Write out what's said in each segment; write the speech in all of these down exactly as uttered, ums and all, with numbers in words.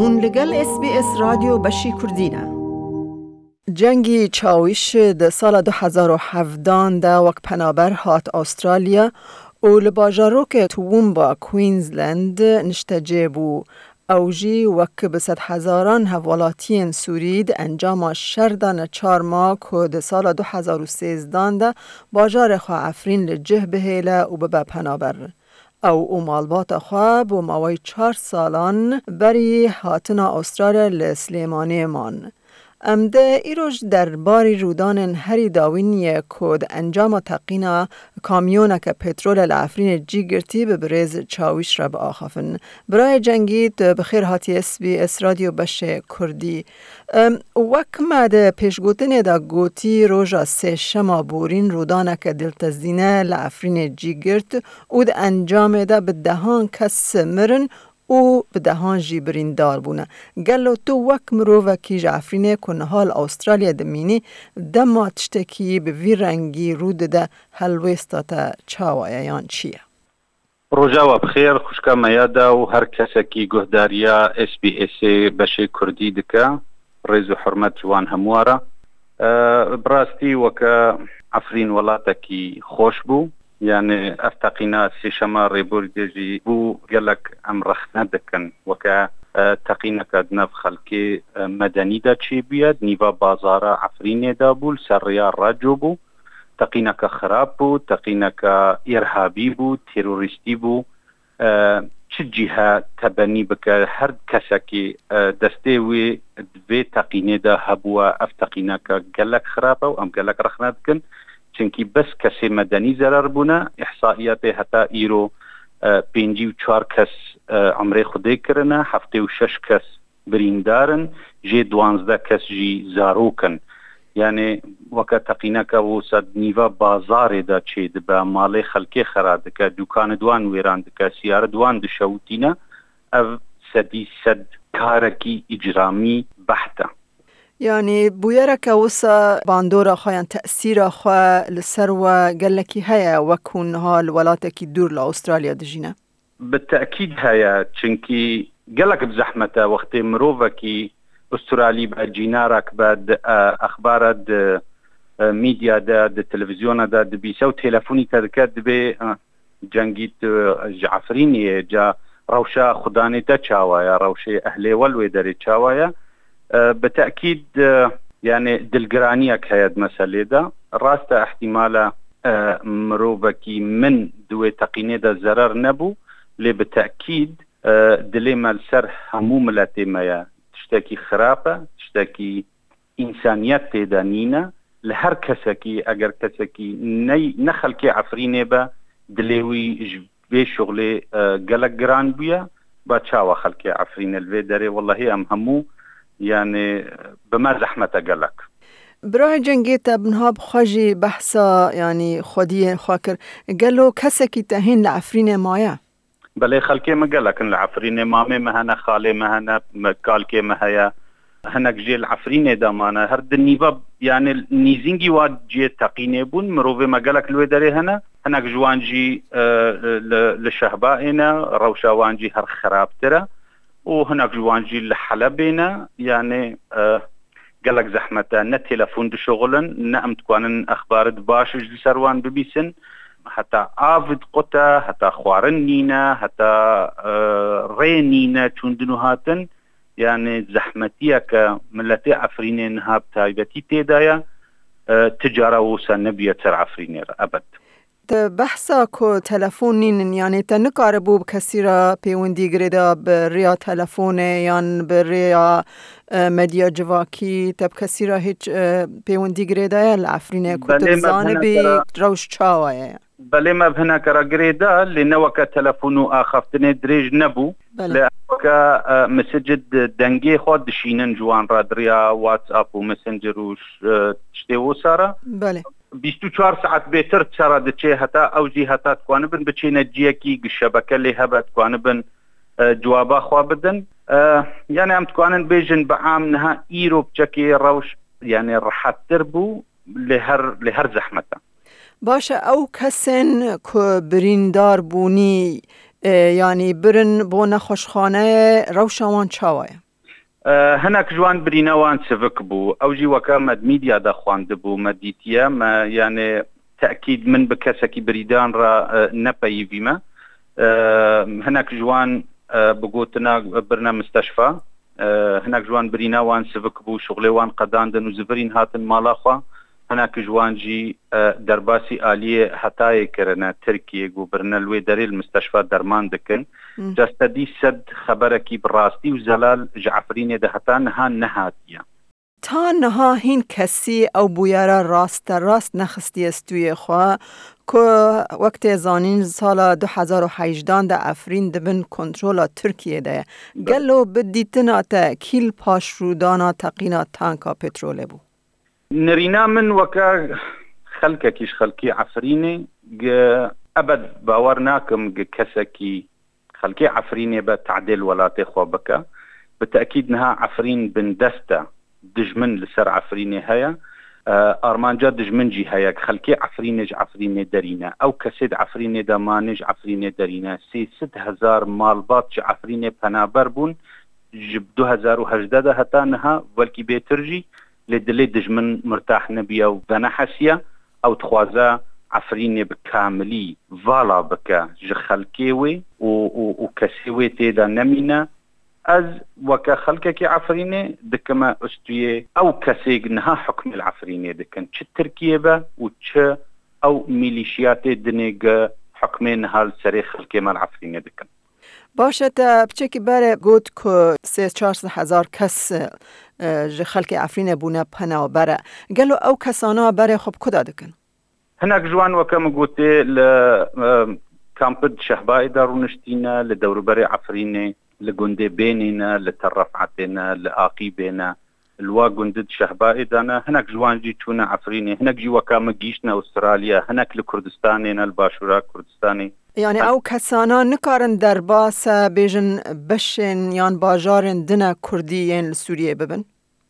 Hûn li gel S B S Radyo Beşî Kurdî ne. Cengî Çawîş di sala du hezar û hevdan de wek penaber hat Astralya û li bajarokê Toowoomba, Queensland niştecê bû. Ew jî wek bi sedhezaran hevwelatiyên Sûrî di encama şer de neçar ma ku di sala du hezar û sêzdan de bajarê xwe Efrîn li cih bihêle û bibe penaber. Ew û malbata xwe bo mawey çar salan berî hatina Astralya li Silêmaniyê man. Em de îro ji derbarî rûdanên herî dawîn ye ku di encama teqîna kamyoneke petrolê li Efrînê cî girtî bi birêz Çawîş re biaxafin. Birayê Cengî, tu bi xêr hatî S B S Radyo Beşê Kurdî. Em, wek me di pêşgotinê de gotî, roja sêşema borîn rûdaneke diltezîne li Efrînê cî girt û di encamê de bi dehan kes mirin û bi dehan jî birîndar bûne. Gelo tu wek mirovekî ji Efrînê ku niha li Astralya dimînî, dema tiştekî bi vî rengî rû dide, helwêsta te çawa ye yan çi ye? Roja we bi xêr, xwişka me ya da û her kesekî guhdariya S B Sê beşê Kurdî dike, rêz û hurmet ji wan hemû re. E, bi rastî weke Efrîn welatekî xweş bû. Yani ev teqîna sêşema rêborî de jî bû gelek em rexne dikin. Weke, e, teqîneke di nav xelkê, e, medenî de çêbûye, di nîva bazara Efrînê de bû, li ser rêya Reco bû. Teqîneke xirab bû, teqîneke îrhabî bû, terorîstî bû. E, çi cîhe tebenî bike, her kesekî, e, destê wî di vê teqînê de hebûye, ev teqîneke gelek xirab e û em gelek rexne dikin. Çimkî bes kesê medenî zerar bûne. Îhsaiyatê heta îro, e, pêncî û çar kes, e, emrê Xwedê kirine, heftê û şeş kes birîndar in, jê duwazdeh kes jî zarok in. Yani weke teqîneke wisa di nîva bazarê de çêdibe, malê xelkê xera dike, dûkanê di wan wêran dike, siyarê di wan dişewitîne, ev sedî sed karekî îcramî beht e. Yani bûyereke wisa bandora xwe yan tesîra xwe li ser we gelekî heye, wek hûn niha li welatekî dûr li Astralya dijîne? Bi tekîd heye, çimkî gelek bi zehmet e wextê mirovekî Ustralî be, cînarek be, di, e, exbara, di, e, mîdya de, di televîzyona de dibîse û telefonî te dike, dibê, e, Cengî, tu ji Efrînê yê, ca rewşa xudanê te çawa ye, rewşê ehlê we li wê derê çawa ye? E, bi tekîd, e, yani dilgiraniyek heye di meselê de. Rast e, ihtimale, e, mirovekî min di wê teqînê de zerar nebû, lê bi tekîd, e, dilê me li ser hemû miletê me ye. Tiştekî xirab e, tiştekî însaniyet tê de nîne. Li her kesekî, eger kesekî ney-, ne xelkê Efrînê be, dilê wî ji vê şuxlê, e, gelek giran bûye. Ba çawa xelkê Efrînê li vê derê? Wellahî em hemû, yani, bi me zehmet e gelek. Birayê Cengê, te niha bi xwe jî behsa, yani, xwediyê xwe kir. Gelo kesekî te hîn li Efrînê maye? Belê, xelkê me gelek in li Efrînê. Mamê me hene, xalê me hene, me, kalkê me heye. Hinek jê li Efrînê de mane. Her di nîva, yani nîzîngî wa cihê teqînê bûn. Mirovê me gelek li wê derê hene. Hinek ji wan jî, e, li, li Şehbayê ne. Rewşa wan jî her xirabtir e. Û hinek ji wan jî li Helebê ne. Yani, e, gelek zehmet e. Ne telefon dişuxulin, ne em dikanin exbarit baş ji ser wan bibîsin. Heta av diqute, heta xwarin nîne, heta, e, rê nîne çûndin û hatin. Yani zehmetiyeke miletê Efrînê niha bi taybetî tê de ye. E, ti cara wisa nebûye ser Efrînê re, ebed. Te behsa ku telefon nînin, yani te nikaribû bi kesî re pêwendî girêda bi rêya telefonê yan bi rêya, e, medya civakî, te bi kesî re hiç, e, pêwendî girêdaye li Efrînê ku tu Belê, me bizanibî hinekara rewş çawa ye? Belê, me bi hinekara girêda, lê ne weke telefon û axaftinê dirêj nebû. Belê. Lê weke, e, mesajê di dengê xwe dişînin ji wan re di rêya WhatsApp û Messenger û ş-, e, tiştê wisa re. Belê. Bîst û çar saet bêtir çara diçê heta, ew jî heta dikwanibin biçêne ciyekî gi şebeke lê hebe dikwanibin, e, cewaba xwe bidin. E, yani em dikanin bêjin bi am niha îro biçekê rewş, yani rehettir bû, lê her, lê her zehmet e. Baş e, ew kesên ku birîndar bûnî, e, yani birin bo nexweşxaneyê, rewşa wan çawa ye? E, hinek ji wan birîna wan sivik bû. Ew jî weke me di medya de xwendibû, me dîtiye, me, yani, tekîd min bi kesekî birîdan re, e, nepeyivîme. E, hinek ji wan, e, bi gotina birine misteşfa. E, hinek ji wan birîna wan sivik bû, şuxulê wan qedandin û zivirîn hatin mala xwe. Hinek ji wan jî, e, derbasî aliyê hetayê kirine Tirkiyê, ku birine li wê derê li misteşfa derman dikin. Hmm. Ca sedî sed xeberekî bi rastî û zelal ji Efrînê de heta niha nehatiye. Ta niha hîn kesî ew bûyera rasterast nexistiye stûyê xwe, ku wek tê zanîn, sala du hezar û hejdan de Efrîn di bin kontrola Tirkiyê de ye. Belê. Gelo bi dîtina te kî li paşrûdana teqîna tanka petrolê bû? Nirîna min weke xelkekî ji xelkê Efrînê, gi-, ebed bawer nakim gi kesekî xelkê Efrînê be tadê li welatê xwe bike. Bi tekîd niha Efrîn bindest e. Dijmin li ser Efrînê heye. E, armanca dijmin jî heye. Xelkê Efrînê ji Efrînê derîne. Ew kesê di Efrînê de mane ji Efrînê derîne. Sê sed hezar malbat ji Efrînê penaber bûn. Ji du hezar û hejdeh de heta niha, belkî bêtir jî, lê dilê dijmin mirtah nebiye û venehesiye. Ew dixwaze Efrînê bi kamilî vala bike ji xelkê wê û, û, û kesê wê tê de nemîne. Ez weke xelkekî Efrînê dikime ustuyê ew kesê niha hukmê li Efrînê dikin. Çi Tirkiye be û çi ew mîlîşiyatê dinê gi hukmê niha li serê xelkê me li Efrînê dikin. Baş e, te piçekî berê got ku sê çar sed hezar kes, e, ji xelkê Efrînê bûne penaber. Gelo ew kesana berê xwe bi ku de dikin? Hinek ji wan, weke min gotê, li, e, kampid Şehbayê de rûniştîne, li dewrûberê Efrînê, li gundê Bênê ne, li Tel Ref'etê ne, li Aqîbê ne, li wa gundid Şehbayê de ne. Hinek ji wan jî çûne Efrînê, hinek jî weka min gihîştine Ûstralya, hinek li Kurdistanê ne, li başûra Kurdistanê. Yani ew kesana nikarin derbas e, bêjin beşên yan bajarên din e Kurdî yên li Sûriyê bibin?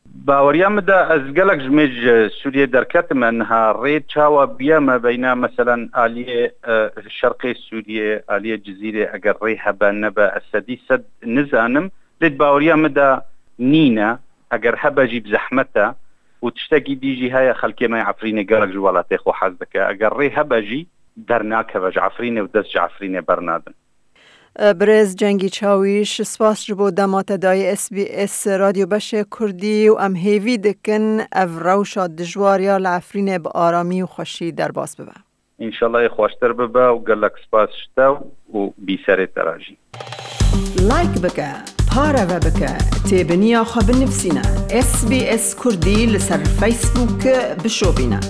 Baweriya min de ez gelek ji mêj ji Sûriyê derketime, niha rê çawa bûye me beyna, meselen, aliyê, e, şerqê Sûriyê, aliyê Cizîrê, eger rê hebe nebe, ez sedî sed nizanim. Lê di baweriya min de nîne, eger hebe jî bi zehmet e û tiştekî dî jî heye, xelkê me yê Efrînê gelek ji welatê xwe hez dike. Eger rê hebe jî dernakeve ji Efrînê û dest ji Efrînê bernadin. Birêz Cengî Çawîş, spas ji bo dema te dayî S B S Radyo Beşê Kurdî û em hêvî dikin ev rewşa dijwar ya li Efrînê bi aramî û xweşî derbas bibe. Înşallah yê xweştir bibe û gelek spas ji te û bîserê te re jî. Like bike, pareve bike, têbiniya xwe binivîsîne. S B S Kurdî li ser Facebook bişopîne.